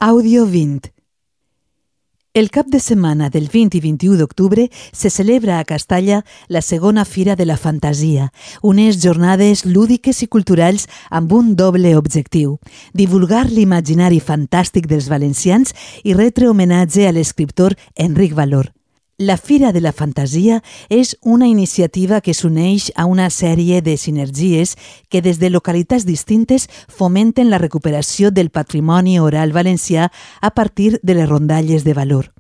Àudio 20. El cap de setmana del 20 i 21 d'octubre se celebra a Castalla la segona Fira de la Fantasia, unes jornades lúdiques i culturals amb un doble objectiu: divulgar l'imaginari fantàstic dels valencians i retre homenatge a l'escriptor Enric Valor. La Fira de la Fantasia és una iniciativa que s'uneix a una sèrie de sinergies que des de localitats distintes fomenten la recuperació del patrimoni oral valencià a partir de les rondalles de Valor.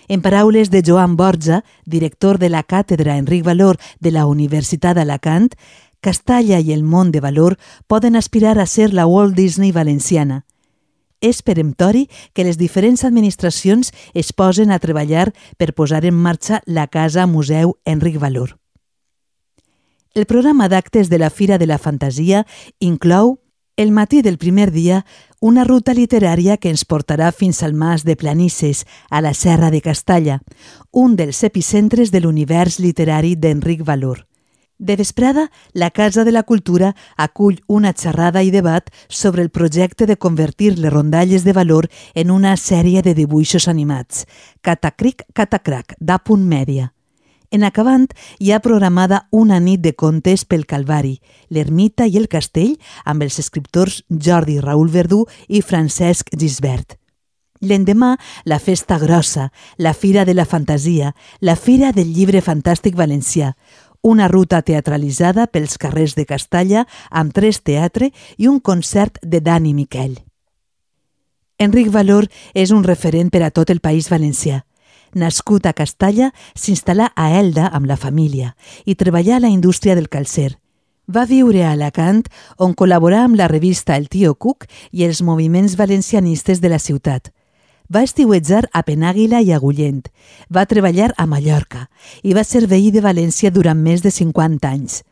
En paraules de Joan Borja, director de la càtedra Enric Valor de la Universitat d'Alacant, Castalla i el món de Valor poden aspirar a ser la Walt Disney valenciana. És peremptori que les diferents administracions es posen a treballar per posar en marxa la Casa Museu Enric Valor. El programa d'actes de la Fira de la Fantasia inclou, el matí del primer dia, una ruta literària que ens portarà fins al Mas de Planisses, a la Serra de Castalla, un dels epicentres de l'univers literari d'Enric Valor. De vesprada, la Casa de la Cultura acull una xerrada i debat sobre el projecte de convertir les rondalles de Valor en una sèrie de dibuixos animats, Catacric Catacrac, d'Apunt Mèdia. En acabant, hi ha programada una nit de contes pel Calvari, l'Ermita i el Castell, amb els escriptors Jordi Raül Verdú i Francesc Gisbert. L'endemà, la Festa Grossa, la Fira de la Fantasia, la Fira del Llibre Fantàstic Valencià, una ruta teatralitzada pels carrers de Castalla amb 3 teatre i un concert de Dani Miquel. Enric Valor és un referent per a tot el País Valencià. Nascut a Castalla, s'instal·là a Elda amb la família i treballà a la indústria del calcer. Va viure a Alacant, on col·laborà amb la revista El Tío Cook i els moviments valencianistes de la ciutat. Va estiuejar a Penàguila i a Agullent, va treballar a Mallorca i va ser veí de València durant més de 50 anys.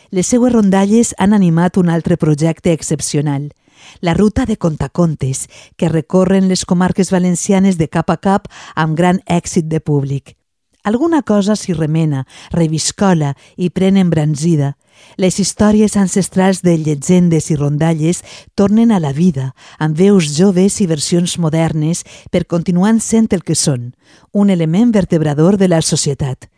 Les seues rondalles han animat un altre projecte excepcional, la Ruta de Contacontes, que recorren les comarques valencianes de cap a cap amb gran èxit de públic. Alguna cosa s'hi remena, reviscola i pren embranzida. Les històries ancestrals de llegendes i rondalles tornen a la vida, amb veus joves i versions modernes per continuar sent el que són, un element vertebrador de la societat.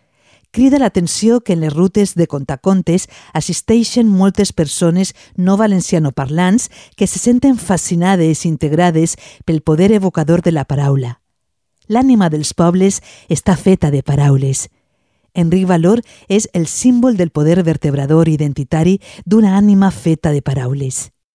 Crida l'atenció que en les rutes de contacontes assisteixen moltes persones no valencianoparlants que se senten fascinades i integrades pel poder evocador de la paraula. L'ànima dels pobles està feta de paraules. Enric Valor és el símbol del poder vertebrador identitari d'una ànima feta de paraules.